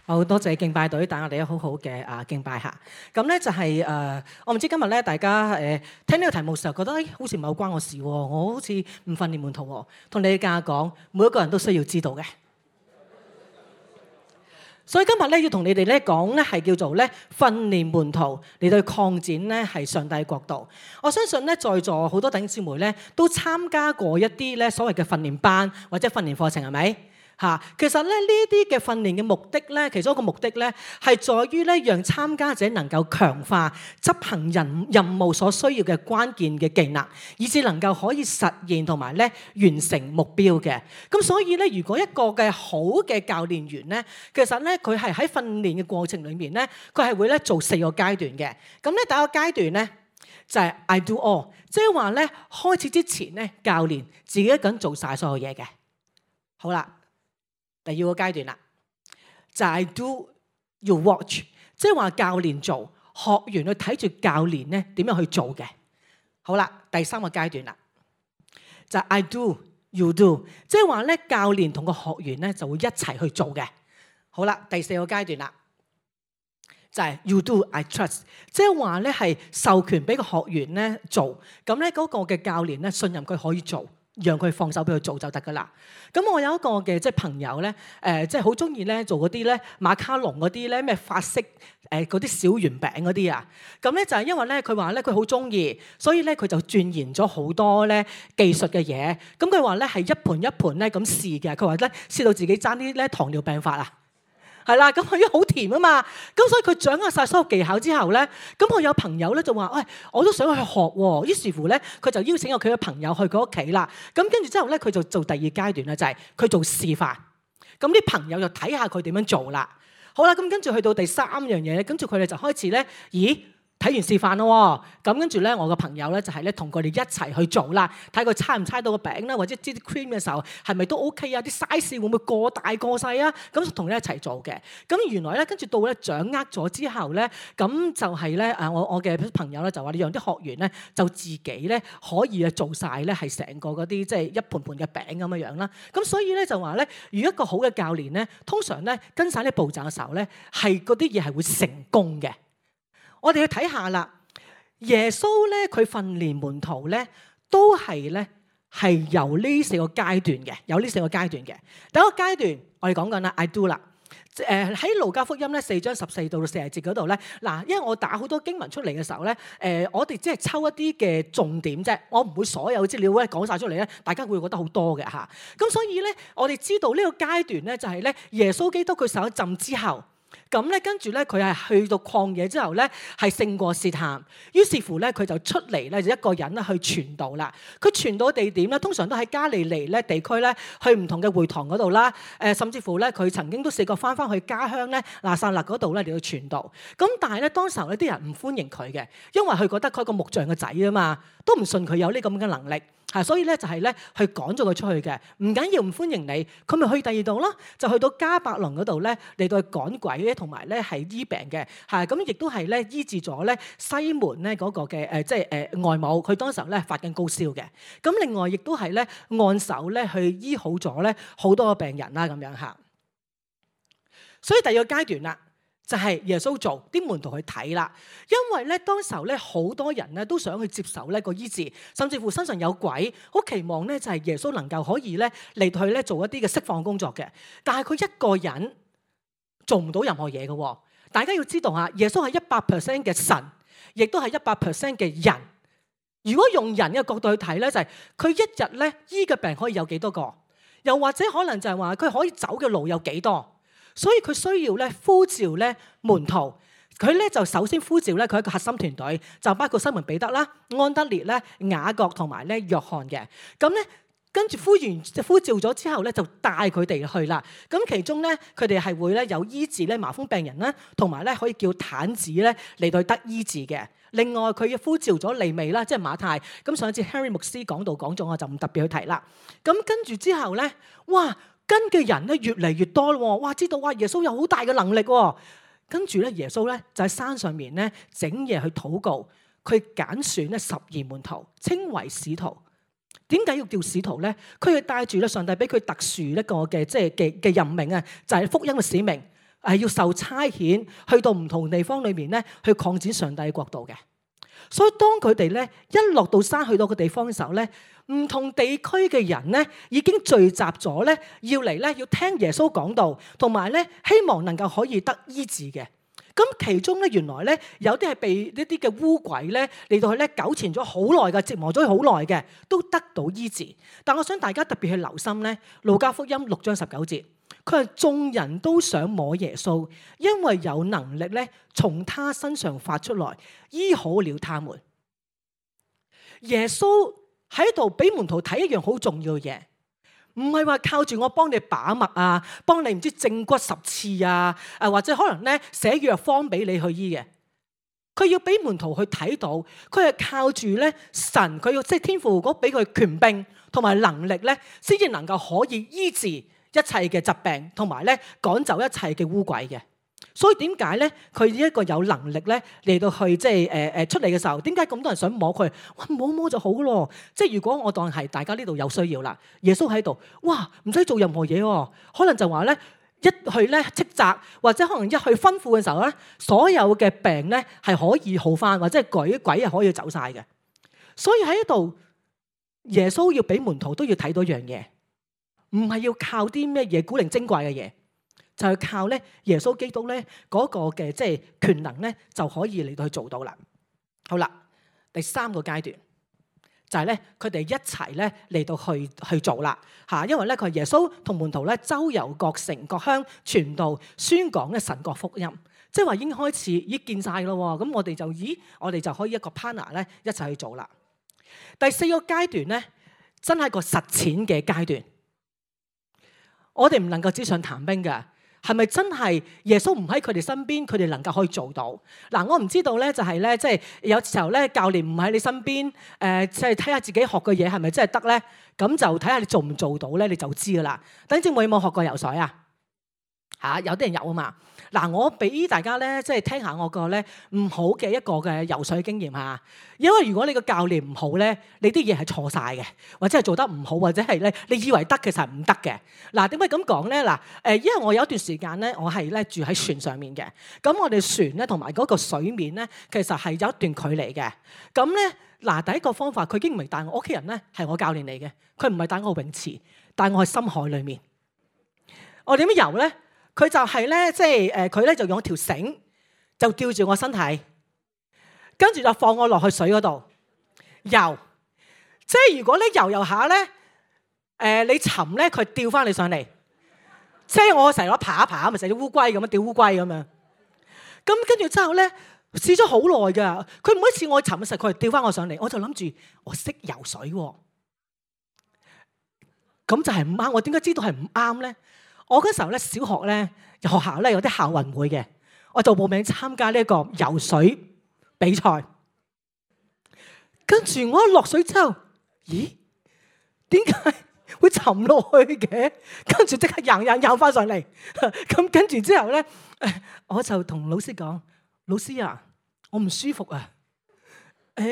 好多謝敬拜隊帶我哋好好嘅敬拜下。咁咧就係我唔知今日咧大家聽呢個題目嘅時候覺得好似唔係好關我事喎，我好似唔訓練門徒喎。同你哋講，每一個人都需要知道嘅。所以今日咧要同你哋咧講咧係叫做咧訓練門徒嚟到擴展咧係上帝國度。我相信咧在座好多弟兄姊妹咧都參加過一啲咧所謂嘅訓練班或者訓練課程，係咪？其實咧呢啲嘅訓練嘅目的咧，其中一個目的咧係在於咧讓參加者能夠強化執行任務所需要嘅關鍵嘅技能，以至能夠可以實現同埋咧完成目標嘅。咁所以咧，如果一個嘅好嘅教練員咧，其實咧佢係喺訓練嘅過程裏面咧，佢係會咧做4個階段嘅。咁咧第一個階段咧就係 I do all， 即係話咧開始之前咧教練自己一個人做晒所有嘢嘅。好啦。第二個階段啦，就係 I do you watch， 即係話教練做，學員去睇住教練咧點樣去做嘅。好啦，第三個階段啦，就係 I do you do， 即係話咧教練同個學員咧就會一齊去做嘅。好啦，第四個階段啦，就係 you do I trust， 即係話咧係授權俾個學員咧做，咁咧嗰個嘅教練咧信任佢可以做。讓佢放手俾佢做就得噶啦。咁我有一個嘅即係朋友咧，即係好中意咧做嗰啲咧馬卡龍嗰啲咧咩法式嗰啲小圓餅嗰啲啊。咁咧就係因為咧佢話咧佢好中意，所以咧佢就鑽研咗好多咧技術嘅嘢。咁佢話咧係一盤一盤咧咁試嘅。佢話咧試到自己爭啲咧糖尿病發啊。係啦，咁佢因為好甜啊嘛，咁所以佢掌握晒所有技巧之後咧，咁我有朋友咧就話，喂，我都想去學喎。於是乎咧，佢就邀請咗佢嘅朋友去佢屋企啦。咁跟住之後咧，佢就做第二階段啦，就係佢做示範。咁啲朋友就睇下佢點樣做啦。好啦，咁跟住去到第三樣嘢，跟住佢哋就開始咧，咦？睇完示範咯，咁跟住咧，我個朋友咧就係咧同佢哋一齊去做啦，睇佢猜唔猜到個餅啦，或者擠啲 cream 嘅時候係咪都 OK 啊？啲 size 會唔會過大過細啊？咁同佢一齊做嘅。咁原來咧跟住到咧掌握咗之後咧，咁就係咧我嘅朋友咧就話你讓啲學員咧就自己咧可以做晒咧係成個嗰啲即係一盤盤嘅餅咁樣樣啦。咁所以咧就話咧，如果一個好嘅教練咧，通常咧跟晒啲步驟嘅時候咧，係嗰啲嘢係會成功嘅。我哋去睇下啦，耶穌咧佢訓練門徒咧都係咧係由呢4個階段嘅，有呢4個階段嘅。第一個階段我哋講緊啦 ，I do 啦。喺路加福音咧4章14到40節嗰度咧，嗱，因為我打好多經文出嚟嘅時候咧，我哋只係抽一啲嘅重點啫，我唔會所有資料咧講晒出嚟咧，大家會覺得好多嘅嚇。咁所以咧，我哋知道呢個階段咧就係咧耶穌基督佢受咗浸之後。咁咧，跟住咧，佢係去到曠野之後咧，係勝過試探。於是乎咧，佢就出嚟咧，就一個人咧去傳道啦。佢傳道地點咧，通常都喺加利利咧地區咧，去唔同嘅會堂嗰度啦。甚至乎咧，佢曾經都試過翻去家鄉咧拿撒勒嗰度咧嚟到傳道。咁但係咧，當時候咧啲人唔歡迎佢嘅，因為佢覺得佢係個木匠嘅仔啊嘛，都唔信佢有呢咁嘅能力。所以咧就係咧去趕咗佢出去嘅，唔緊要唔歡迎你，佢咪去第二度咯，就去到迦百農嗰度咧嚟到去趕鬼咧，同埋咧係醫病嘅，咁亦都係咧醫治咗咧西門咧嗰個嘅外母，佢當時候咧發緊高燒嘅，咁另外亦都係咧按手咧去醫好咗咧好多個病人啦咁樣嚇，所以第二個階段啦。就係耶穌做，啲門徒去睇啦。因為咧當時候咧好多人咧都想去接受呢個醫治，甚至乎身上有鬼，好期望咧就係耶穌能夠可以咧嚟到去咧做一啲嘅釋放工作嘅。但係佢一個人做唔到任何嘢嘅。大家要知道嚇，耶穌係100% 嘅神，亦都係100% 嘅人。如果用人嘅角度去睇咧，就係佢一日咧醫嘅病可以有幾多個，又或者可能就係話佢可以走嘅路有幾多。所以佢需要咧呼召咧門徒，佢咧就首先呼召咧佢一個核心團隊，就包括西門彼得啦、安德烈咧、雅各同埋咧約翰嘅。咁咧跟住呼召咗之後咧，就帶佢哋去啦。咁其中咧佢哋係會咧有醫治咧麻風病人啦，同埋咧可以叫癱子咧嚟到得醫治嘅。另外佢呼召咗利未啦，即係馬太。咁上一次 Henry 牧師講咗，我就唔特別去提啦。咁跟住之後咧，哇！跟嘅人咧越嚟越多咯，哇！知道哇耶穌有好大嘅能力喎。跟住咧耶穌咧就喺山上面咧整夜去禱告，佢揀選咧12門徒，稱為使徒。點解要叫使徒咧？佢係帶住咧上帝俾佢特殊一個嘅即係嘅任命啊，就係福音嘅使命。要受差遣去到唔同地方裏面咧，去擴展上帝國度嘅。所以當佢哋咧一落到山去到個地方嘅時候咧，唔同地區嘅人咧已經聚集咗咧，要嚟咧要聽耶穌講道，同埋咧希望能夠可以得醫治嘅。咁其中咧原來咧有啲係被呢啲嘅污鬼咧嚟到去咧糾纏咗好耐嘅，折磨咗好耐嘅，都得到醫治。但我想大家特別去留心咧，路加福音6章19節，佢係眾人都想摸耶穌，因為有能力咧從他身上發出來，醫好了他們。耶穌喺度俾門徒睇一樣好重要嘅嘢，唔係話靠住我幫你把脈啊，幫你唔知正骨10次啊，或者可能咧寫藥方俾你去醫嘅。佢要俾門徒去睇到，佢係靠住咧神，佢要即係天父嗰俾佢權柄同埋能力咧，先至能夠可以醫治一切嘅疾病，同埋咧趕走一切嘅污鬼嘅。所以點解咧？佢一個有能力咧嚟到去即係出嚟嘅時候，點解咁多人想摸佢？哇，摸就好咯！即係如果我當係大家呢度有需要啦，耶穌喺度，哇，唔使做任何嘢喎，可能就話咧一去咧斥責，或者可能一去吩咐嘅時候咧，所有嘅病咧係可以好返，或者係鬼係可以走晒嘅。所以喺呢度，耶穌要俾門徒都要睇到一樣嘢，唔係要靠啲咩嘢古靈精怪嘅嘢。就係靠咧耶穌基督咧嗰個嘅即係權能咧就可以嚟到去做到啦。好啦，第3個階段就係咧佢哋一齊咧嚟到去做啦嚇，因為咧佢係耶穌同門徒咧周遊各城各鄉傳道宣講咧神國福音，即係話已經開始已經見晒咯喎。咁我哋就可以一個 partner 咧一齊去做啦。第4個階段咧真係個實踐嘅階段，我哋唔能夠紙上談兵㗎。係咪真係耶穌唔喺佢哋身邊，佢哋能夠可以做到？嗱，我唔知道咧，就係咧，即係有時候咧，教練唔喺你身邊，即係睇下自己學嘅嘢係咪真係得咧？咁就睇下你做唔做到咧，你就知噶啦。等陣有冇學過游水啊？嚇，有啲人有啊嘛。嗱，我俾大家咧，即係聽下我個咧唔好嘅一個嘅游水經驗嚇。因為如果你個教練唔好咧，你啲嘢係錯晒嘅，或者係做得唔好，或者係咧你以為得其實係唔得嘅。嗱，點解咁講咧？嗱，因為我有一段時間咧，我係咧住喺船上面嘅。咁我哋船咧同埋嗰個水面咧，其實係有一段距離嘅。咁咧，嗱，第一個方法，佢已經唔係帶我屋企人咧，係我教練嚟嘅。佢唔係帶我泳池，帶我去深海裡面。我點樣游咧？佢就係咧，即係佢咧就用條繩就吊住我身體，跟住就放我落去水嗰度游。即係如果咧游下咧，你沉咧，佢吊翻你上嚟。即係我成日攞爬一爬，咪成隻烏龜咁樣吊烏龜咁樣。咁跟住之後咧，試咗好耐㗎。佢每一次我沉嘅時候，佢係吊翻我上嚟。我就諗住我識游水喎，咁就係唔啱。我點解知道係唔啱咧？我嗰時候咧，小學咧，學校咧有啲校運會嘅，我就報名參加呢一個游水比賽。跟住我一落水之後，咦？點解會沉落去嘅？跟住即刻游翻上嚟。咁跟住之後咧，我就同老師講：老師啊，我唔舒服啊，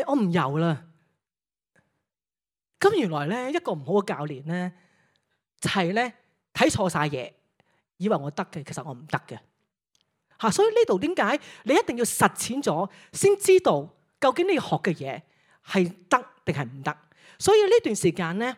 我唔游啦。咁原來咧一個唔好嘅教練咧，就係咧。睇錯晒嘢，以為我得嘅，其實我唔得嘅嚇。所以呢度點解你一定要實踐咗，先知道究竟你學嘅嘢係得定係唔得。所以呢段時間咧，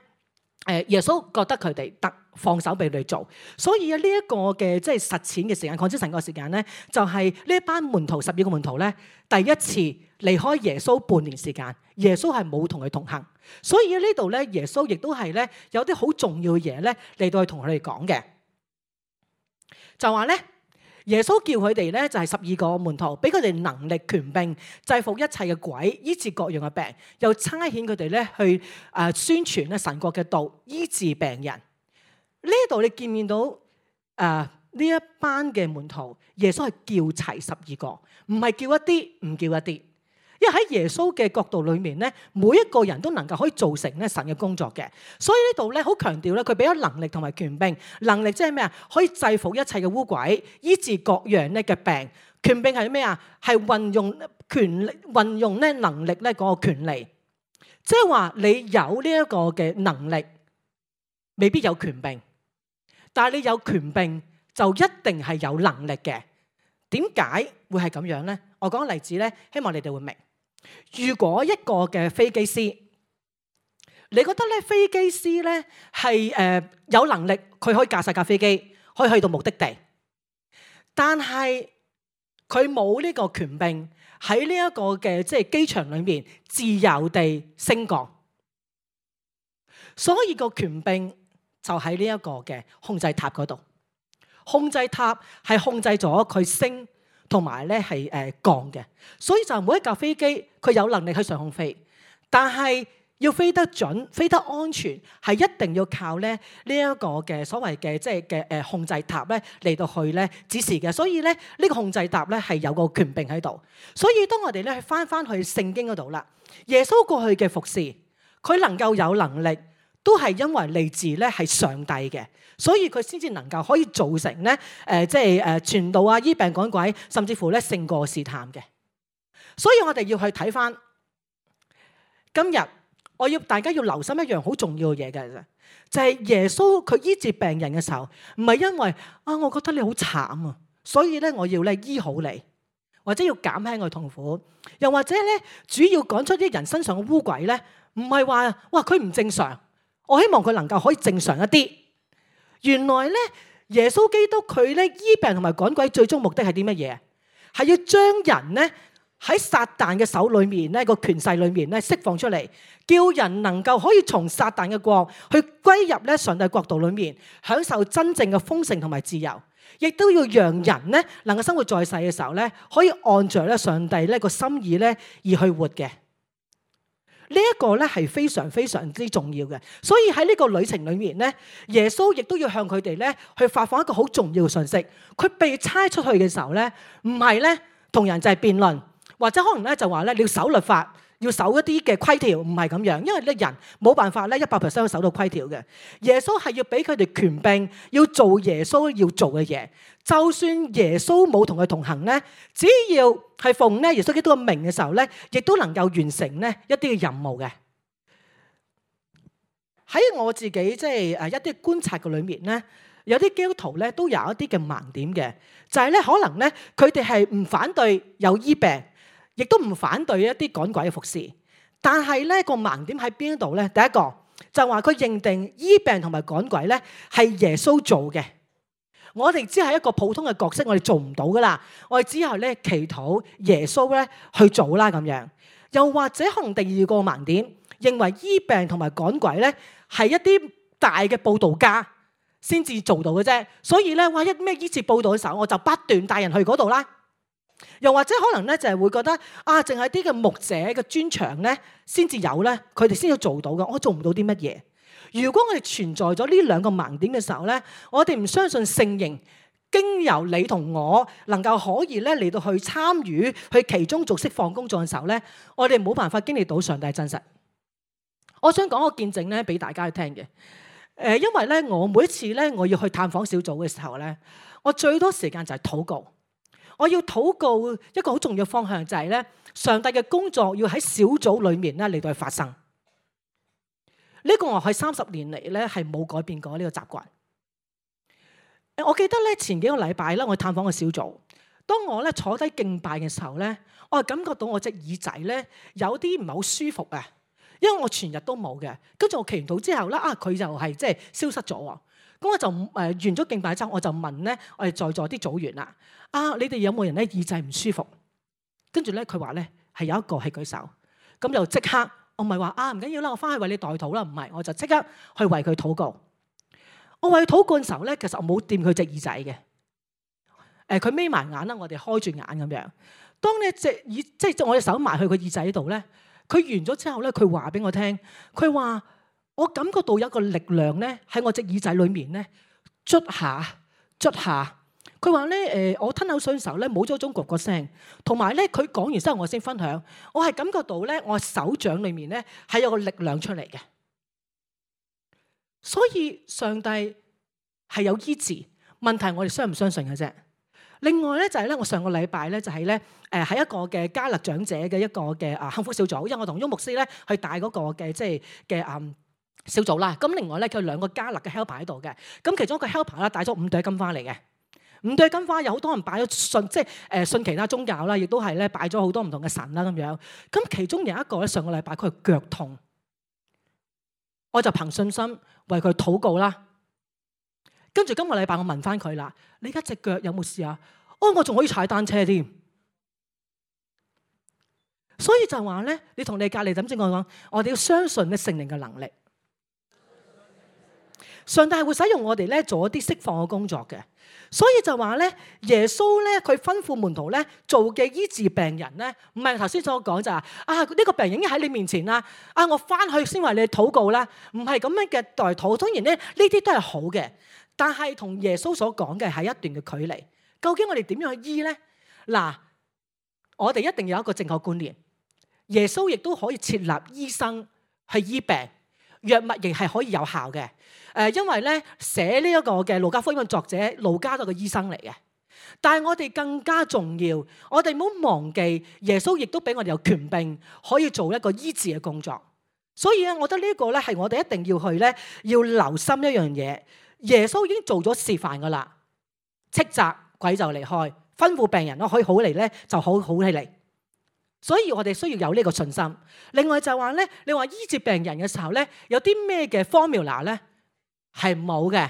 耶穌覺得佢哋得，放手俾佢哋做。所以呢一個嘅即係實踐嘅時間，擴展成個時間咧，就係呢一班門徒12個門徒咧，第一次離開耶穌半年時間，耶穌係冇同佢同行。所以呢度咧，耶穌亦都係咧有啲好重要嘅嘢咧嚟到去同佢哋講嘅，就話咧耶穌叫佢哋咧就係12個門徒，俾佢哋能力權柄制服一切嘅鬼，醫治各樣嘅病，又差遣佢哋咧去宣傳咧神國嘅道，醫治病人。呢度你見唔見到呢一班嘅門徒？耶穌係叫齊12個，唔係叫一啲，唔叫一啲。因為喺耶穌嘅角度裏面咧，每一個人都能夠可以做成咧神嘅工作嘅，所以呢度咧好強調咧，佢俾咗能力同埋權柄。能力即係咩啊？可以制服一切嘅污鬼，醫治各樣咧嘅病。權柄係咩啊？係運用權力，運用咧能力咧嗰個權利。即係話你有呢一個嘅能力，未必有權柄，但係你有權柄就一定係有能力嘅。點解會係咁樣呢？我講個例子呢，希望你哋會明。如果一個嘅飛機師，你覺得咧飛機師咧係有能力，佢可以駕駛架飛機，可以去到目的地，但係佢冇呢個權柄喺呢一個嘅即係機場裏面自由地升降，所以個權柄就喺呢一個嘅控制塔嗰度。控制塔係控制咗佢升同埋咧係降嘅，所以就每一架飛機佢有能力去上空飛，但係要飛得準、飛得安全，係一定要靠咧呢一個嘅所謂嘅即係嘅控制塔咧嚟到去咧指示嘅。所以咧呢個控制塔咧係有個權柄喺度。所以當我哋咧翻去聖經嗰度啦，耶穌過去嘅服侍，佢能夠有能力，都係因為嚟自咧係上帝嘅，所以佢先至能夠可以造成咧即係傳道啊、醫病趕鬼，甚至乎咧勝過試探嘅。所以我哋要去睇翻今日，我要大家要留心一樣好重要嘅嘢嘅，就係耶穌佢醫治病人嘅時候，唔係因為我覺得你好慘啊，所以咧我要咧醫好你，或者要減輕佢痛苦，又或者咧主要趕出啲人身上嘅污鬼咧，唔係話哇佢唔正常。我希望佢能夠可以正常一啲。原來咧，耶穌基督佢咧醫病同埋趕鬼，最終目的係啲乜嘢？係要將人咧喺撒旦嘅手裏面咧個權勢裏面咧釋放出嚟，叫人能夠可以從撒旦嘅國去歸入咧上帝國度裏面，享受真正嘅豐盛同埋自由，亦都要讓人咧能夠生活在世嘅時候咧，可以按着咧上帝咧個心意咧而去活嘅。呢一個咧係非常非常之重要嘅，所以喺呢個旅程裏面咧，耶穌亦都要向佢哋咧去發放一個好重要嘅信息。佢被差出去嘅時候咧，唔係咧同人就係辯論，或者可能咧就話咧你要守律法，要守一啲嘅規條，唔係咁樣，因為咧人冇辦法咧100%去守到規條嘅。耶穌係要俾佢哋權柄，要做耶穌要做嘅嘢。就算耶穌冇同佢同行咧，只要係奉咧耶穌基督嘅名嘅時候咧，亦都能夠完成咧一啲嘅任務嘅。喺我自己即係一啲觀察嘅裏面咧，有啲基督徒咧都有一啲嘅盲點嘅，就係咧可能咧佢哋係唔反對有醫病，亦都唔反對一啲趕鬼嘅服侍，但係咧個盲點喺邊度咧？第一個就話佢認定醫病同埋趕鬼咧係耶穌做嘅。我哋只係一個普通嘅角色，我哋做唔到噶啦。我哋只係咧祈禱耶穌咧去做啦咁樣。又或者可能第二個盲點，認為醫病同埋趕鬼咧係一啲大嘅佈道家先至做到嘅啫。所以咧，哇一咩醫治佈道嘅時候，我就不斷帶人去嗰度啦。又或者可能咧就係會覺得淨係啲嘅牧者嘅專長咧先至有咧，佢哋先要做到嘅，我做唔到啲乜嘢。如果我哋存在咗呢兩個盲點嘅時候咧，我哋唔相信聖靈經由你同我能夠可以咧嚟到去參與去其中做釋放工作嘅時候咧，我哋冇辦法經歷到上帝真實。我想講個見證咧俾大家去聽嘅。因為咧我每一次咧我要去探訪小組嘅時候咧，我最多時間就係禱告。我要禱告一個好重要嘅方向就係咧，上帝嘅工作要喺小組裏面咧嚟到去發生。呢個我喺30年嚟咧係冇改變過呢個習慣。我記得咧前幾個禮拜咧，我探訪個小組，當我咧坐低敬拜嘅時候咧，我係感覺到我隻耳仔咧有啲唔係好舒服啊，因為我全日都冇嘅。跟住我祈完禱之後咧，佢就係即係消失咗喎。咁我就完咗敬拜之後，我就問咧我哋在座啲組員啦，你哋有冇人咧耳仔唔舒服？跟住咧佢話咧係有一個係舉手，咁就即刻。我唔係話唔緊要啦，我翻去為你代禱啦，唔係，我就即刻去為佢禱告。我為佢禱告嘅時候咧，其實我冇掂佢隻耳仔嘅。佢眯埋眼啦，我哋開住眼咁樣。當你隻耳即係我隻手埋去佢耳仔度咧，佢完咗之後咧，佢話俾我聽，佢話我感覺到有一個力量咧喺我隻耳仔裏面咧捽下捽下。佢話咧我吞口水嘅時候咧冇咗種咕咕聲，同埋咧佢講完之後我先分享，我係感覺到咧我手掌裏面咧係有個力量出嚟嘅。所以上帝係有醫治，問題我哋相唔相信嘅啫。另外咧就係咧我上個禮拜咧就係咧喺一個嘅加勒長者嘅一個嘅幸福小組，因為我同翁牧師咧去帶嗰個嘅即係嘅小組啦。咁另外咧佢2個加勒嘅 helper 喺度嘅，咁其中一個 helper 咧帶咗5朵金翻嚟嘅。五對金花有好多人擺咗信，即係信其他宗教啦，亦都係咧擺咗好多唔同嘅神啦咁樣。咁其中有一個咧，上個禮拜佢腳痛，我就憑信心為佢禱告啦。跟住今個禮拜我問翻佢啦，你而家隻腳有冇事啊？哦，我仲可以踩單車添。所以就話咧，你同你隔離點先講，我哋要相信咧聖靈嘅能力。上帝係會使用我哋咧做一啲釋放嘅工作嘅，所以就話咧，耶穌咧佢吩咐門徒咧做嘅醫治病人咧，唔係頭先所講就係呢個病人已經喺你面前啦，我翻去先為你禱告啦，唔係咁樣嘅代禱。當然咧呢啲都係好嘅，但係同耶穌所講嘅係一段嘅距離。究竟我哋點樣去醫咧？嗱，我哋一定有一個正確觀念，耶穌亦都可以設立醫生去醫病，藥物亦係可以有效嘅。因為咧寫呢一個嘅路加福音嘅作者路加都係個醫生嚟嘅，但係我哋更加重要，我哋唔好忘記耶穌亦都俾我哋有權柄可以做一個醫治嘅工作。所以咧，我覺得呢個咧係我哋一定要去咧要留心一樣嘢。耶穌已經做咗示範噶啦，斥責鬼就離開，吩咐病人可以好嚟咧就好起嚟。所以我哋需要有呢個信心。另外就話咧，你話醫治病人嘅時候咧，有啲咩嘅 formula 咧？係冇嘅。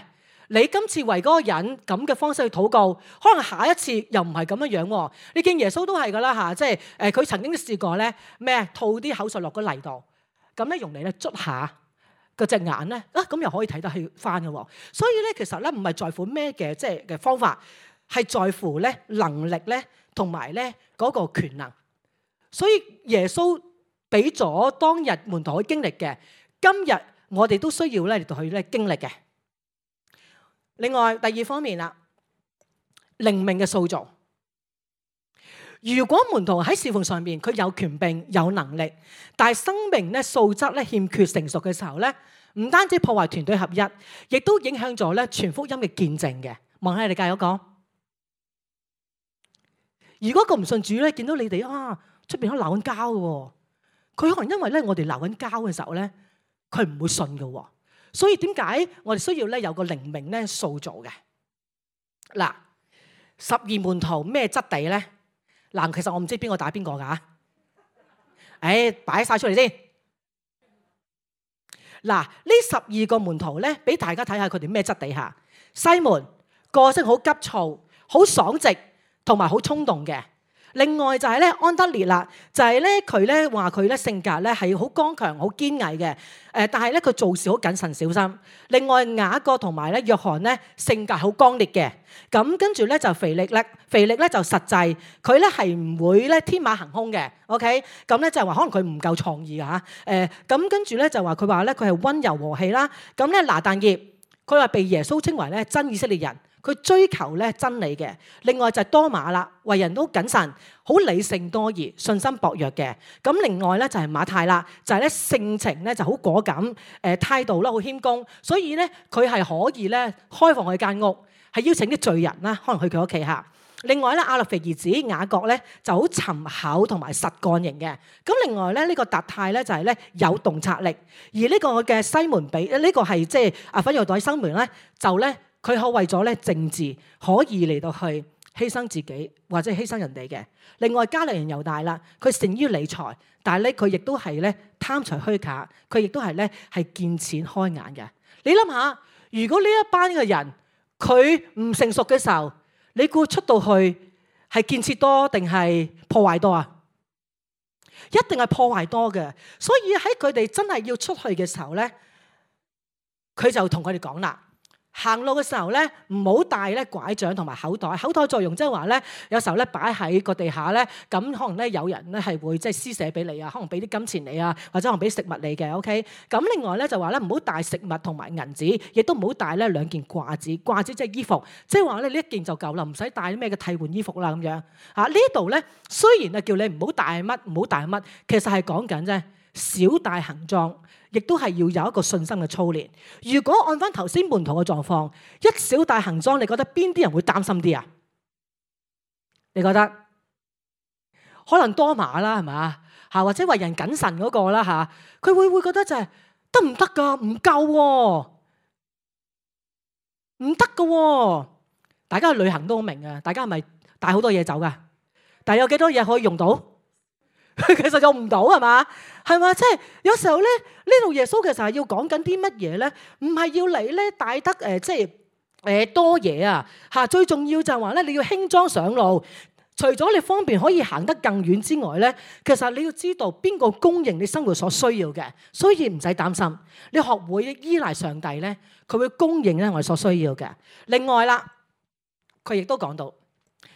你今次為嗰個人咁嘅方式去禱告，可能下一次又唔係咁樣樣。你見耶穌都係噶啦嚇，即係佢曾經試過咧咩吐啲口水落個泥度，咁咧用嚟咧捽下個隻眼咧，咁又可以睇得起翻嘅。所以咧其實咧唔係在乎咩嘅即係嘅方法，係在乎咧能力咧同埋咧嗰個權能。所以耶穌俾咗當日門徒去經歷嘅，今日我哋都需要咧嚟到去咧經歷嘅。另外第二方面啦，靈命嘅塑造。如果門徒喺侍奉上面佢有權柄有能力，但係生命咧素質咧欠缺成熟嘅時候咧，唔單止破壞團隊合一，亦都影響咗咧傳福音嘅見證嘅。望下你隔籬嗰個，如果個唔信主咧，見到你哋出邊可能鬧緊交嘅，佢可能因為咧我哋鬧緊交嘅時候咧，佢唔會信嘅。所以點解我哋需要咧有個靈命咧塑造嘅？嗱，12門徒咩質地咧？嗱，其實我唔知邊個打邊個噶，擺晒出嚟先。嗱，呢12個門徒咧，俾大家睇下佢哋咩質地下。西門個性好急躁、好爽直，同埋好衝動嘅。另外就係咧安德烈啦，就係咧佢咧話佢咧性格咧係好剛強、好堅毅嘅。但係咧佢做事好謹慎小心。另外雅各同埋咧約翰咧性格好剛烈嘅。咁跟住咧就腓力咧就實際，佢咧係唔會咧天馬行空嘅。OK，咁咧就係話可能佢唔夠創意嚇。咁跟住咧就話佢話咧佢係溫柔和氣啦。咁咧拿但業，佢話被耶穌稱為咧真以色列人。佢追求咧真理嘅。另外就係多馬啦，為人都謹慎，好理性多疑，信心薄弱嘅。咁另外咧就係馬太啦，就係咧性情咧就好果敢，態度啦好謙恭，所以咧佢係可以咧開放佢間屋，係邀請啲罪人啦，可能去佢屋企下。另外咧亞勒腓兒子雅各咧就好沉厚同埋實幹型嘅。咁另外咧呢個達太咧就係咧有洞察力，而呢個嘅西門比呢個係即係奮銳黨西門咧就咧。佢可為咗咧政治可以嚟到去犧牲自己或者犧牲人哋嘅。另外加利人猶大啦，佢善於理財，但係咧佢亦都係咧貪財虛假，佢亦都係咧係見錢開眼嘅。你諗下，如果呢一班嘅人佢唔成熟嘅時候，你估出到去係建設多定係破壞多啊？一定係破壞多嘅。所以喺佢哋真係要出去嘅時候咧，佢就同佢哋講啦。行路嘅時候咧，唔好帶咧拐杖同埋口袋。口袋作用即係話咧，有時候咧擺喺個地下咧，咁可能咧有人咧係會即係施捨俾你啊，可能俾啲金錢你啊，或者可能俾食物你嘅。OK，咁另外咧就話咧唔好帶食物同埋銀紙，亦都唔好帶咧2件褂子。褂子即係衣服，即係話咧呢一件就夠啦，唔使帶啲咩嘅替換衣服啦咁樣。呢度咧雖然係叫你唔好帶乜，唔好帶乜，其實係講緊啫少帶行裝。亦都係要有一個信心嘅操練。如果按翻頭先門徒嘅狀況，一小帶行裝，你覺得邊啲人會擔心啲啊？你覺得可能多馬啦，係咪？或者為人謹慎嗰個啦嚇，佢會覺得就係得唔得㗎？唔夠喎，唔得㗎喎。大家去旅行都好明嘅，大家係咪帶好多嘢走噶？但係有幾多嘢可以用到？其實用唔到係嘛？係嘛？即係有時候咧，呢度耶穌其實係要講緊啲乜嘢咧？唔係要你咧帶得多嘢啊嚇！最重要就係話咧，你要輕裝上路。除咗你方便可以行得更遠之外咧，其實你要知道邊個供應你生活所需要嘅，所以唔使擔心。你學會依賴上帝咧，佢會供應咧我哋所需要嘅。另外啦，佢亦都講到，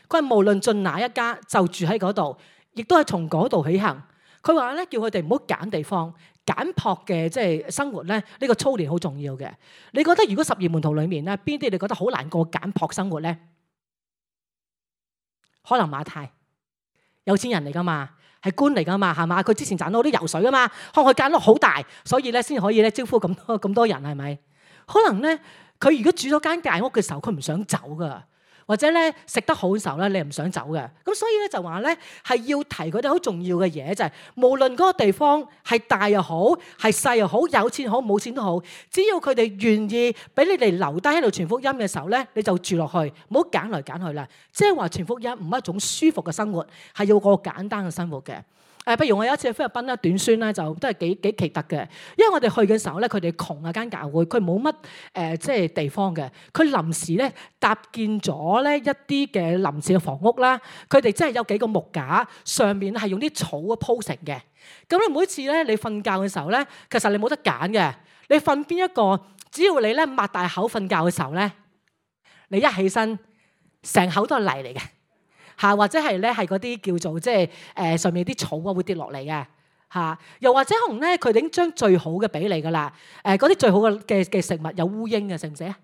佢係無論進哪一家就住喺嗰度，亦都係從嗰度起行。佢話咧叫佢哋唔好揀地方，簡樸嘅即係生活咧，呢個操練好重要嘅。你覺得如果12門徒裡面咧，邊啲你覺得好難過簡樸生活咧？可能馬太，有錢人嚟噶嘛，係官嚟噶嘛，係嘛？佢之前賺到好多油水噶嘛，可能佢間屋好大，所以咧先可以咧招呼咁多人，係咪？可能咧佢如果住咗間大屋嘅時候，佢唔想走噶。或者咧食得好嘅時候咧，你唔想走嘅。咁所以咧就話咧係要提佢哋好重要嘅嘢，就係無論嗰個地方係大又好，係細又好，有錢好冇錢都好，只要佢哋願意俾你哋留低喺度傳福音嘅時候咧，你就住落去，唔好揀來揀去啦。即係話傳福音唔係一種舒服嘅生活，係要過簡單嘅生活嘅。譬如我有一次去菲律賓咧，短宣咧就都係幾奇特嘅，因為我哋去嘅時候咧，佢哋窮啊間教會，佢冇乜即係地方嘅，佢臨時咧搭建咗咧一啲嘅臨時嘅房屋啦，佢哋真係有幾個木架，上面係用啲草啊鋪成嘅。咁你每次咧你瞓覺嘅時候咧，其實你冇得揀嘅，你瞓邊一個，只要你咧擘大口瞓覺嘅時候咧，你一起身成口都係泥嚟嘅。嚇，或者係咧係嗰啲叫做即係上面啲草啊會跌落嚟嘅嚇，又或者可能咧佢哋已經將最好嘅俾你噶啦，嗰啲最好嘅食物有烏蠅嘅，食唔食啊？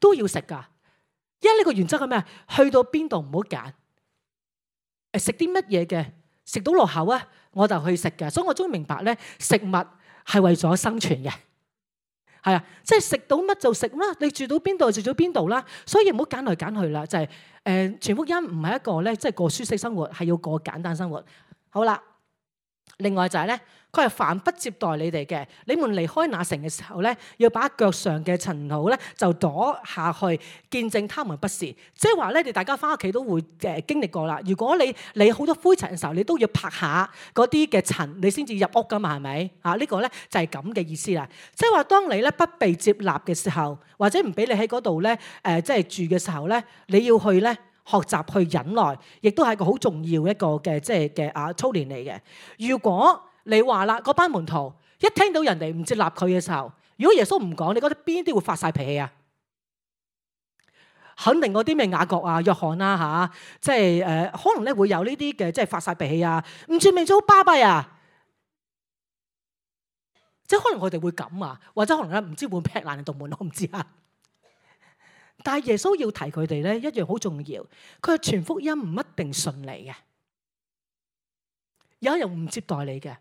都要食噶，因為呢個原則係咩？去到邊度唔好揀，食啲乜嘢嘅食到落口啊，我就去食嘅。所以我終於明白咧，食物係為咗生存嘅。係啊，即係食到乜就食啦，你住到邊度就住到邊度啦，所以唔好揀來揀去啦。就係傳福音唔係一個咧，即係過舒適生活，係要過簡單生活。好啦，另外就係咧，佢係凡不接待你哋嘅，你們離開那城嘅時候咧，要把腳上嘅塵土咧就躲下去，見證他們不是。即係話咧，你大家翻屋企都會經歷過啦。如果你好多灰塵嘅時候，你都要拍下嗰啲嘅塵，你先至入屋噶嘛，係咪？呢個咧就係咁嘅意思啦。即係話，當你咧不被接納嘅時候，或者唔俾你喺嗰度咧即係住嘅時候咧，你要去咧學習去忍耐，亦都係一個好重要一個嘅即係嘅操練嚟嘅。如果你話啦，嗰班門徒一聽到人哋唔接納佢嘅時候，如果耶穌唔講，你覺得邊啲會發晒脾氣啊？肯定嗰啲咩雅各啊、約翰啊即係可能咧會有呢啲嘅即係發晒脾氣啊，唔傳明咗好巴閉啊！即係可能佢哋會咁啊，或者可能咧唔知會劈爛道門，我唔知啊。但係耶穌要提佢哋咧一樣好重要，佢係傳福音唔一定順利嘅，有人唔接待你嘅。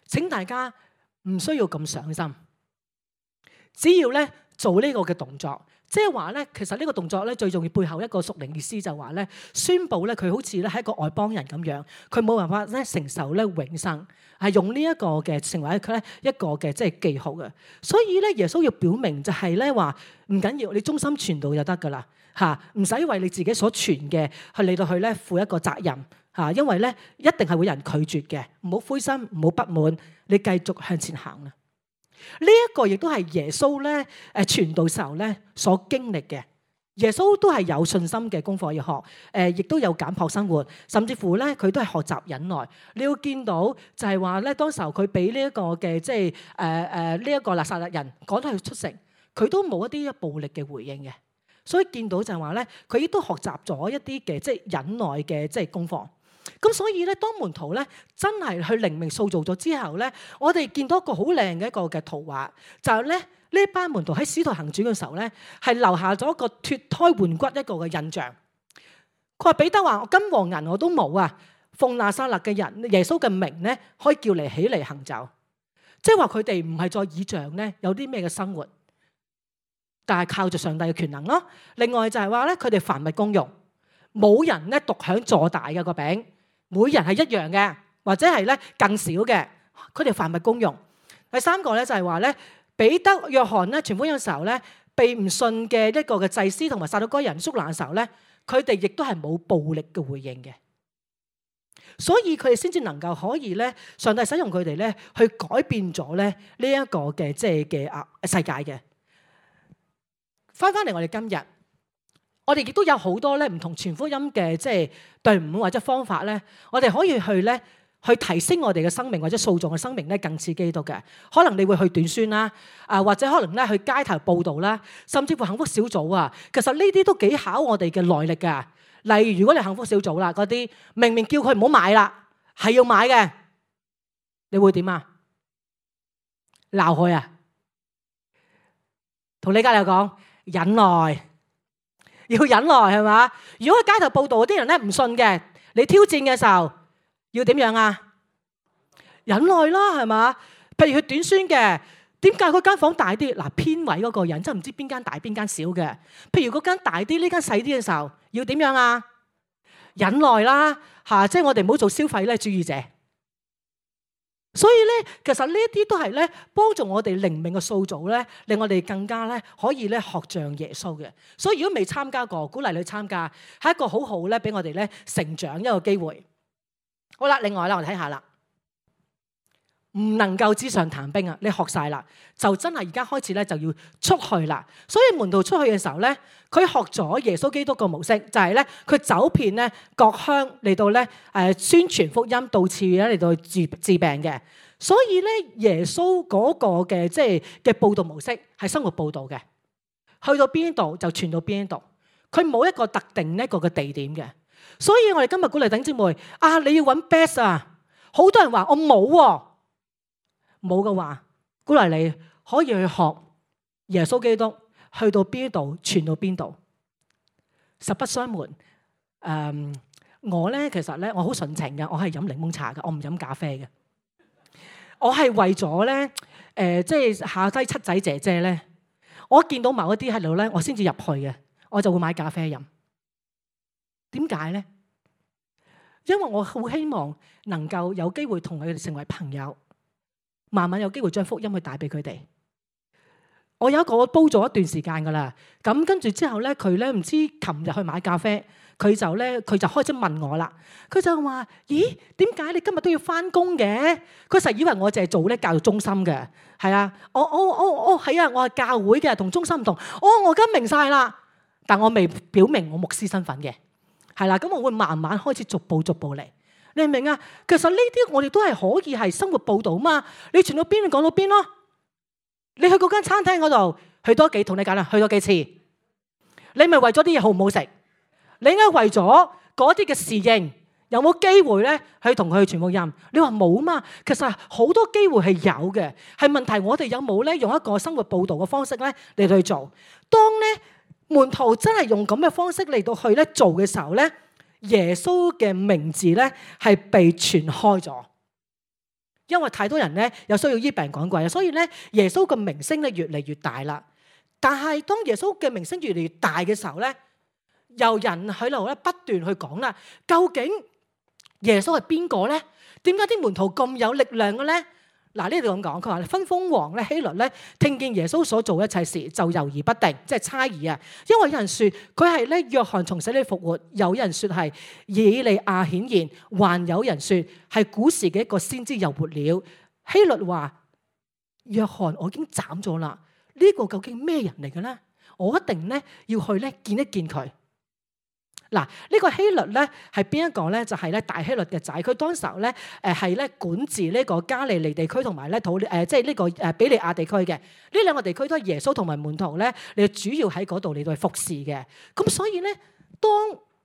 請大家唔需要咁上心，只要咧做呢個嘅動作，即係話咧，其實呢個動作咧最重要背後一個屬靈意思就係話咧，宣佈咧佢好似咧係一個外邦人咁樣，佢冇辦法咧承受咧永生，係用呢一個嘅成為佢咧一個嘅即係記號嘅。所以咧耶穌要表明就係咧話唔緊要，你忠心傳道就得噶啦嚇，唔使為你自己所傳嘅去嚟到去咧負一個責任。因為咧一定係會有人拒絕嘅，唔好灰心，唔好不滿，你繼續向前行啦。呢一個亦都係耶穌咧傳道時候咧所經歷嘅。耶穌都係有信心嘅功課要學，亦都有簡樸生活，甚至乎咧佢都係學習忍耐。你要見到就係話咧，當時候佢俾呢一個嘅即係呢一個拿撒勒人趕佢出城，佢都冇一啲暴力嘅回應嘅。所以見到就係話咧，佢亦都學習咗一啲嘅即係忍耐嘅即係功課。咁所以咧，當門徒咧真係去靈命塑造咗之後咧，我哋見到一個好靚嘅一個嘅圖畫，就係咧呢班門徒喺使徒行傳嘅時候咧，係留下咗一個脫胎換骨一個嘅印象。佢話彼得話：我金和銀我都冇啊，奉拿撒勒嘅人耶穌嘅名咧，可以叫你起嚟行走。即係話佢哋唔係再倚仗咧有啲咩嘅生活，但係靠住上帝嘅權能咯。另外就係話咧，佢哋凡物公用。冇人咧獨享坐大嘅個餅，每人係一樣嘅，或者係咧更少嘅。佢哋凡物公用。第三個咧就係話咧，彼得、約翰咧傳福音嘅時候咧，被唔信嘅一個嘅祭司同埋撒都該人捉拿嘅時候咧，佢哋亦都係冇暴力嘅回應嘅，所以佢哋先至能夠可以咧，上帝使用佢哋咧去改變咗咧呢一個嘅即係嘅世界嘅。翻嚟我哋今日，我哋亦都有好多咧唔同傳福音嘅即係隊伍或者方法咧，我哋可以去提升我哋嘅生命或者塑造嘅生命咧，更似基督嘅。可能你會去短宣啦，或者可能咧去街頭報道啦，甚至乎幸福小組啊。其實呢啲都幾考我哋嘅耐力㗎。例如如果你幸福小組啦，嗰啲明明叫佢唔好買啦，係要買嘅，你會點啊？鬧佢啊？同你隔籬講忍耐，要忍耐係嘛？如果喺街頭報道嗰啲人咧唔信嘅，你挑戰嘅時候。要點樣啊？忍耐啦，係嘛？譬如佢短宣嘅，點解嗰間房大啲？嗱，編委嗰個人真係唔知邊間大邊間少嘅。譬如嗰間大啲，呢間細啲嘅時候，要點樣啊？忍耐啦，即係我哋唔好做消費咧主義者。所以咧，其實呢一啲都係咧幫助我哋靈命嘅塑造咧，令我哋更加咧可以咧學像耶穌嘅。所以如果未參加過，鼓勵你參加，係一個好好咧俾我哋咧成長一個機會。好啦，另外啦，我哋睇下啦，唔能夠紙上談兵啊！你學晒啦，就真係而家開始咧就要出去啦。所以門徒出去嘅時候咧，佢學咗耶穌基督個模式，就係咧佢走遍咧各鄉嚟到咧宣傳福音，到處咧嚟到治病嘅。所以咧耶穌嗰個嘅即係嘅佈道模式係生活佈道嘅，去到邊度就傳到邊度，佢冇一個特定一個嘅地點嘅。所以我哋今日鼓勵弟兄姊妹你要揾 best 啊！好多人話我冇喎，冇嘅話，鼓勵你可以去學耶穌基督，去到邊度傳到邊度。實不相瞞，我咧其實咧我好純情嘅，我係飲檸檬茶嘅，我唔飲咖啡嘅。我係為咗咧即係下低七仔姐姐咧，我見到某一啲喺度咧，我先至入去嘅，我就會買咖啡飲。點解咧？因為我好希望能夠有機會同佢哋成為朋友，慢慢有機會將福音去帶俾佢哋。我有一個煲咗一段時間噶啦，咁跟住之後咧，佢咧唔知琴日去買咖啡，佢就開始問我啦。佢就話：咦，點解你今日都要翻工嘅？佢實以為我淨係做咧教育中心嘅，係啊，係啊，我係教會嘅，同中心唔同。我而家明晒啦，但我未表明我牧師身份嘅。係啦，咁我會慢慢開始逐步嚟，你明唔明啊？其實呢啲我哋都係可以係生活報道嘛。你傳到邊，你講到邊咯。你去嗰間餐廳嗰度去多幾，同你講啦，去多幾次，你咪為咗啲嘢好唔好食？你應該為咗嗰啲嘅侍應，有冇機會咧去同佢去傳福音？你話冇嘛？其實好多機會係有嘅，係問題我哋有冇咧用一個生活報道嘅方式咧嚟去做？當咧門徒真係用咁嘅方式嚟到去咧做嘅時候咧，耶穌嘅名字咧係被傳開咗，因為太多人咧有需要醫病趕鬼啊，所以咧耶穌嘅名聲咧越嚟越大啦。但係當耶穌嘅名聲越嚟越大嘅時候咧，由人喺度咧不斷去講啦，究竟耶穌係邊個咧？點解啲門徒咁有力量嘅咧？嗱，呢度咁講，佢話分封王咧希律咧聽見耶穌所做一切事就猶豫不定，即係猜疑啊。因為有人說佢係咧約翰從死裏復活，有人說係以利亞顯現，還有人說係古時嘅一個先知又活了。希律話：約翰我已經斬咗啦，呢個究竟咩人嚟嘅咧？我一定咧要去咧見一見佢。嗱，呢個希律咧係邊一個咧？就係咧大希律嘅仔。佢當時候咧係咧管治呢個加利利地區同埋咧即係呢個比利亞地區嘅。呢兩個地區都係耶穌同埋門徒咧，你主要喺嗰度嚟到去服侍嘅。咁所以咧，當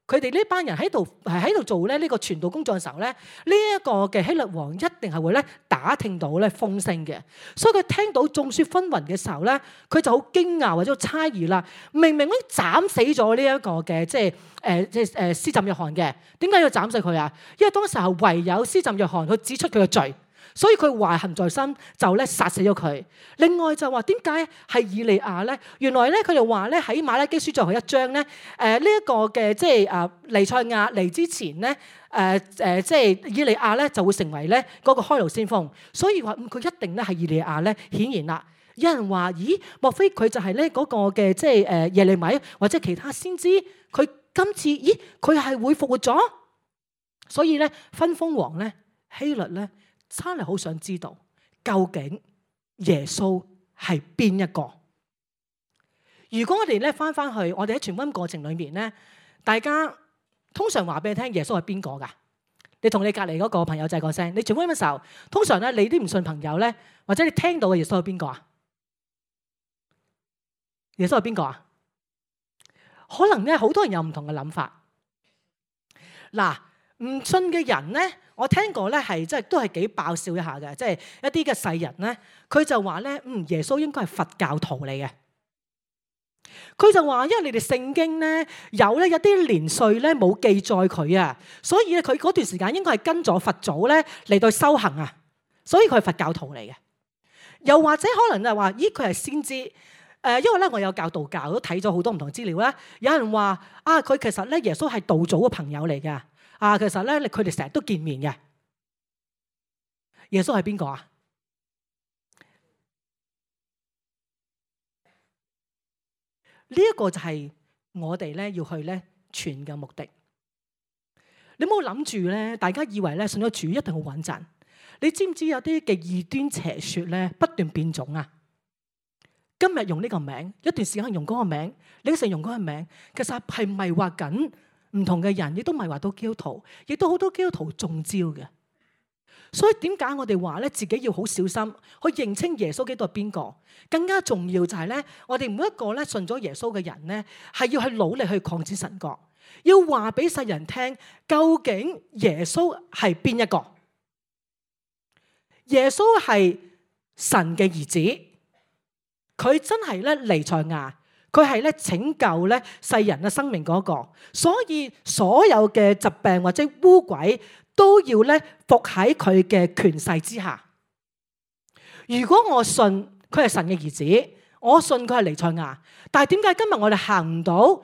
佢哋呢班人喺度做咧呢個傳道工作嘅時候咧，呢一個嘅希律王一定係會咧打聽到咧風聲嘅。所以佢聽到眾說紛紜嘅時候咧，佢就好驚訝或者猜疑啦。明明已經斬死咗呢一個嘅即係施浸約翰嘅，點解要斬死佢啊？因為當時候唯有施浸約翰去指出佢嘅罪。所以佢懷恨在心，就咧殺死咗佢。另外就話點解係以利亞咧？原來咧佢哋話咧喺馬拉基書最後一章咧，呢一個嘅即係彌賽亞嚟之前咧，即係以利亞咧就會成為咧嗰個開路先鋒。所以話佢一定咧係以利亞咧顯現啦。有人話：咦，莫非佢就係咧嗰個嘅即係耶利米或者其他先知？佢今次佢係會復活咗？所以咧，分封王咧希律咧真係好想知道究竟耶穌係邊一個？如果我哋咧翻去，我哋喺傳福音過程裏面咧，大家通常話俾你聽耶穌係邊個㗎？你同你隔離嗰個朋友仔講聲，你傳福音嘅時候，通常咧你啲唔信朋友咧，或者你聽到嘅耶穌係邊個啊？耶穌係邊個啊？可能咧好多人有唔同嘅諗法。嗱，唔信嘅人咧，我聽過咧係即係都係幾爆笑一下嘅，即係一啲嘅世人咧，佢就話咧，耶穌應該係佛教徒嚟嘅。佢就話，因為你哋聖經咧有啲年歲咧冇記載佢啊，所以咧佢嗰段時間應該係跟咗佛祖咧嚟到修行啊，所以佢係佛教徒嚟嘅。又或者可能就話，佢係先知，因為咧我有教道教，都睇咗好多唔同資料啦。有人話佢其實咧耶穌係道祖嘅朋友嚟嘅，其實咧佢哋成日都見面嘅。耶穌係邊個啊？呢一個就係我哋咧要去咧傳嘅目的。你唔好諗住咧，大家以為咧信咗主一定好穩陣。你知唔知有啲嘅異端邪說咧不斷變種啊？今日用呢個名，一段時間用嗰個名，另一時用嗰個名，其實係迷惑緊唔同嘅人，亦都迷惑到基督徒，亦都好多基督徒中招嘅。所以點解我哋話咧自己要好小心去認清耶穌基督係邊個？更加重要就係咧，我哋每一個咧信咗耶穌嘅人咧，係要去努力去擴展神國，要話俾世人聽，究竟耶穌係邊一個？耶穌係神嘅兒子，佢真係咧彌賽亞，佢係咧拯救咧世人嘅生命嗰個，所以所有嘅疾病或者污鬼，都要咧服喺佢嘅權勢之下。如果我信佢係神嘅兒子，我信佢係彌賽亞，但係點解今日我哋行唔到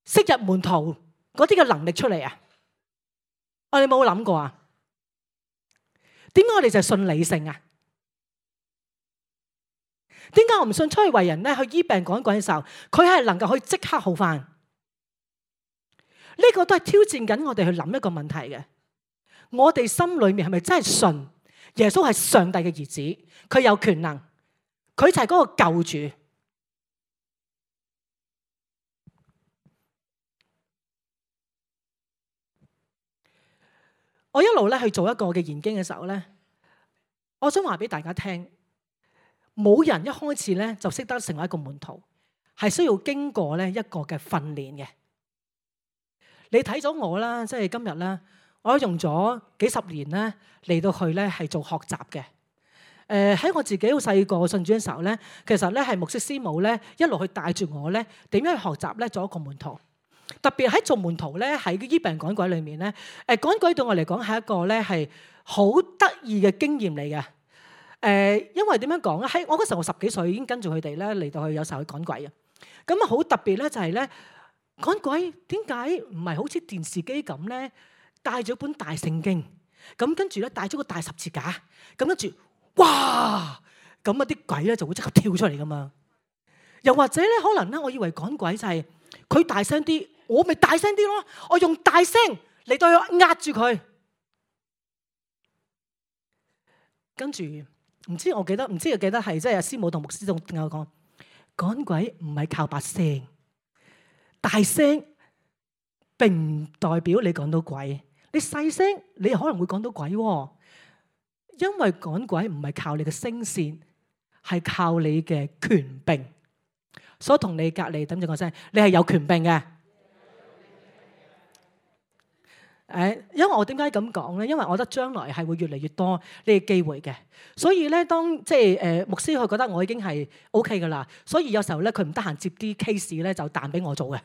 昔日門徒嗰啲嘅能力出嚟啊？我哋冇諗過啊？點解我哋就係信理性啊？點解我唔信出去為人咧去醫病趕鬼嘅時候，佢係能夠去即刻好返？呢個都係挑戰緊我哋去諗一個問題嘅。我哋心裏面係咪真係信耶穌係上帝嘅兒子？佢有權能，佢就係嗰個救主。我一路咧去做一個嘅研經嘅時候咧，我想話俾大家聽，冇人一開始咧就識得成為一個門徒，係需要經過咧一個嘅訓練嘅。你睇咗我啦，即係今日啦。我用咗幾十年咧嚟到去咧係做學習嘅。喺我自己好細個信主嘅時候咧，其實咧係牧師師母咧一路去帶住我咧點樣去學習咧做一個門徒。特別喺做門徒咧喺醫病趕鬼裏面咧，趕鬼對我嚟講係一個咧係好得意嘅經驗嚟嘅。因為點樣講咧？喺我嗰時候我10幾歲已經跟住佢哋咧嚟到去有時候去趕鬼嘅。咁啊好特別咧就係咧趕鬼點解唔係好似電視機咁咧？帶咗本大聖經，咁跟住咧帶咗個大十字架，咁跟住，哇！咁啊啲鬼咧就會即刻跳出嚟噶嘛。又或者咧，可能咧，我以為趕鬼就係佢大聲啲，我咪大聲啲咯，我用大聲嚟到去壓住佢。跟住唔知記得係即係師母同牧師同我講，趕鬼唔係靠把聲，大聲並唔代表你趕到鬼。你細聲，你可能會趕到鬼喎，因為趕鬼唔係靠你嘅聲線，係靠你嘅權柄。所以同你隔離等住個聲，你係有權柄嘅。因為我點解咁講咧？因為我覺得將來係會越嚟越多呢個機會嘅。所以咧，當即係牧師佢覺得我已經係 OK 噶啦，所以有時候咧佢唔得閒接啲 case 咧就彈俾我做嘅。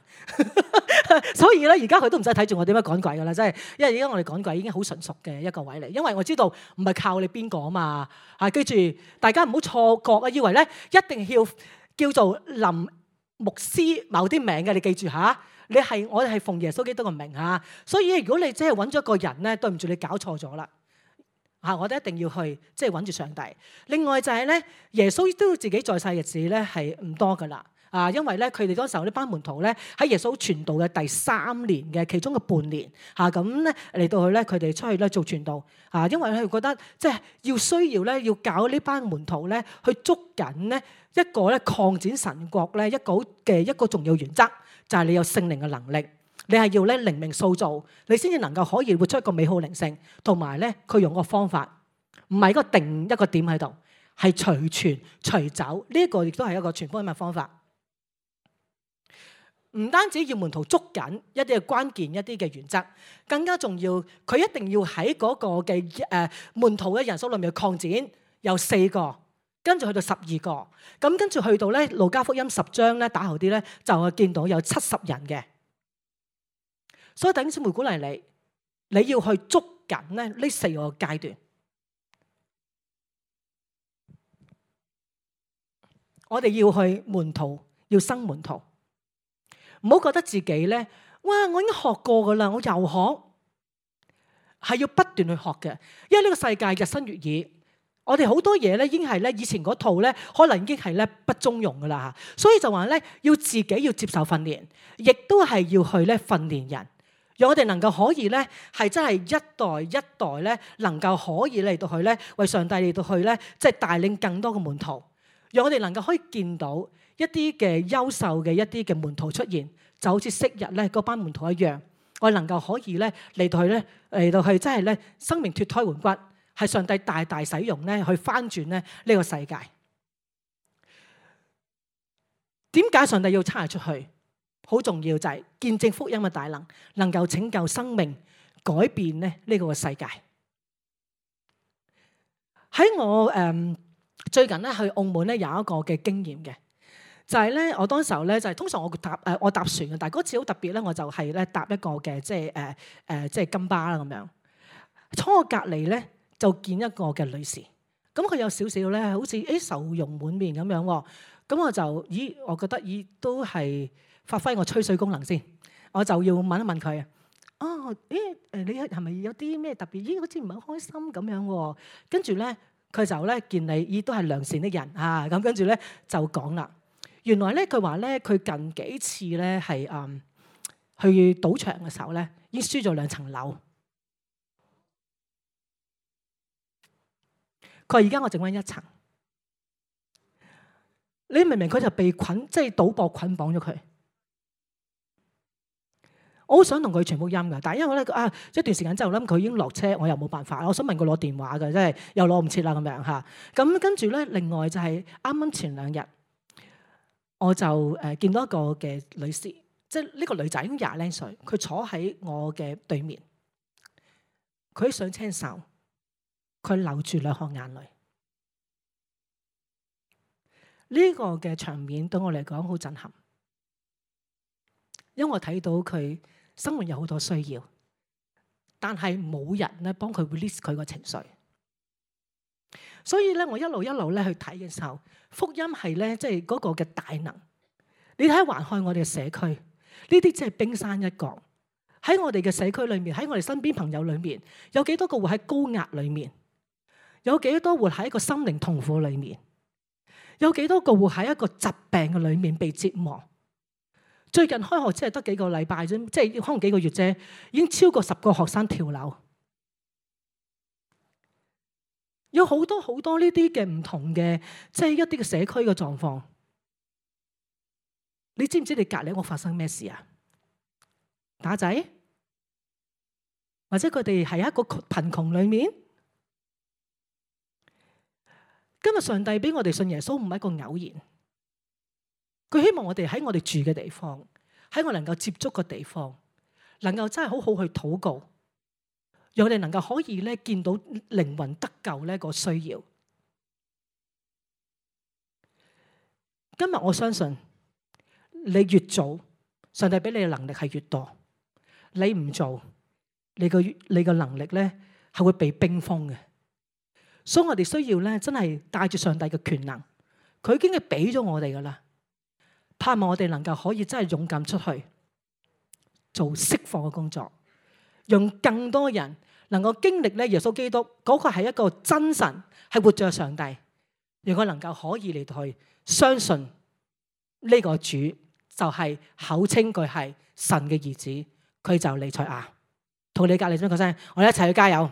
所以咧而家佢都唔使睇住我點樣趕鬼噶啦，真係，因為而家我哋趕鬼已經好純熟嘅一個位嚟。因為我知道唔係靠你邊個啊嘛。記住大家唔好錯覺啊，以為咧一定要叫做林牧師某啲名嘅，你記住嚇。我哋係奉耶穌基督嘅名嚇，所以如果你真係揾咗一個人咧，對唔住你搞錯咗啦。我哋一定要去即係揾住上帝。另外就係咧，耶穌都自己在世日子咧係唔多噶啦。因為咧，佢哋嗰時候呢班門徒咧喺耶穌傳道嘅第3年嘅其中嘅半年咁咧嚟到去咧，佢哋出去咧做傳道因為佢覺得即係需要咧要教呢班門徒咧去捉緊咧一個咧擴展神國咧一個重要原則，就係你有聖靈嘅能力，你係要咧靈命塑造，你先至能夠可以活出一個美好靈性，同埋咧佢用個方法唔係一個定一個點喺度，係隨傳隨走，呢一個亦都係一個傳福音嘅方法。唔單止要門徒捉緊一啲嘅關鍵一啲嘅原則，更加重要，佢一定要喺嗰個嘅門徒嘅人數裏面擴展，由4個，跟住去到12個，咁跟住去到咧路加福音10章咧打後啲咧就見到有70人嘅。所以弟兄姊妹鼓勵你要去捉緊咧呢4個階段。我哋要去門徒，要生門徒。唔好覺得自己咧，哇！我已經學過噶啦，我又學，係要不斷去學嘅。因為呢個世界日新月異，我哋好多嘢咧已經係咧以前嗰套咧，可能已經係咧不中用噶啦嚇。所以就話咧，要自己要接受訓練，亦都係要去咧訓練人，讓我哋能夠可以咧係真係一代一代咧能夠可以嚟到去咧為上帝嚟到去咧即係帶領更多嘅門徒，讓我哋能夠可以見到一啲嘅優秀嘅一啲嘅門徒出現，就好似昔日咧嗰班門徒一樣，我哋能夠可以咧嚟到去真係咧生命脫胎換骨，係上帝大大使用咧去翻轉咧呢個世界。點解上帝要差出去？好重要就係見證福音嘅大能，能夠拯救生命，改變咧呢個世界。喺我最近咧去澳門咧有一個嘅經驗嘅。就係咧，我當時候咧就係通常我搭船嘅，但係嗰次好特別咧，我就係咧搭一個嘅即係金巴啦咁樣。坐我隔離咧就見一個嘅女士，咁佢有少少咧好似愁容滿面咁樣喎。咁我就我覺得都係發揮我吹水功能先，我就要問一問佢你係咪有啲咩特別？好似唔係好開心咁樣喎。跟住咧佢就咧見你都係良善的人咁跟住咧就講啦。原來咧，佢話咧，佢近幾次咧係去賭場嘅時候咧，已經輸咗2層樓。佢話而家我剩翻1層。你明唔明？佢就被即係賭博捆綁咗佢。我好想同佢傳福音㗎，但係因為咧一段時間之後咧，佢已經落車，我又冇辦法。我想問佢攞電話㗎，即係又攞唔切啦咁樣嚇。咁跟住咧，另外就係啱啱前2日。我就見到一個嘅女士，即係呢個女仔已經20零歲，佢坐喺我嘅對面，佢上車時，佢流住2行眼淚。呢個嘅場面對我嚟講好震撼，因為我睇到佢生活有好多需要，但係冇人咧幫佢 release 佢個情緒。所以咧，我一路咧去睇嘅時候，福音係咧即係嗰個嘅大能。你睇環看我哋嘅社區，呢啲只係冰山一角。喺我哋嘅社區裏面，喺我哋身邊朋友裏面，有幾多個活喺高壓裏面？有幾多活喺一個心靈痛苦裏面？有幾多個活喺一個疾病嘅裏面被折磨？最近開學只係得幾個禮拜啫，即係可能幾個月啫，已經超過10個學生跳樓。有好多好多呢啲嘅唔同嘅，即係一啲嘅社區嘅狀況。你知唔知你隔離屋發生咩事啊？打仔，或者佢哋係一個貧窮裏面。今日上帝俾我哋信耶穌唔係一個偶然，佢希望我哋喺我哋住嘅地方，喺我能夠接觸嘅地方，能夠真係好好去禱告。讓我哋能夠可以咧見到靈魂得救呢個需要。今日我相信你越做，上帝俾你嘅能力係越多；你唔做，你個能力咧係會被冰封嘅。所以我哋需要咧真係帶住上帝嘅權能，佢已經係俾咗我哋噶啦。盼望我哋能夠可以真係勇敢出去做釋放嘅工作。讓更多人能夠經歷咧耶穌基督嗰個係一個真神，係活着上帝，如果能夠可以嚟到去相信呢個主就係口稱佢係神嘅兒子，佢就彌賽亞。同你隔籬講聲，我哋一齊去加油。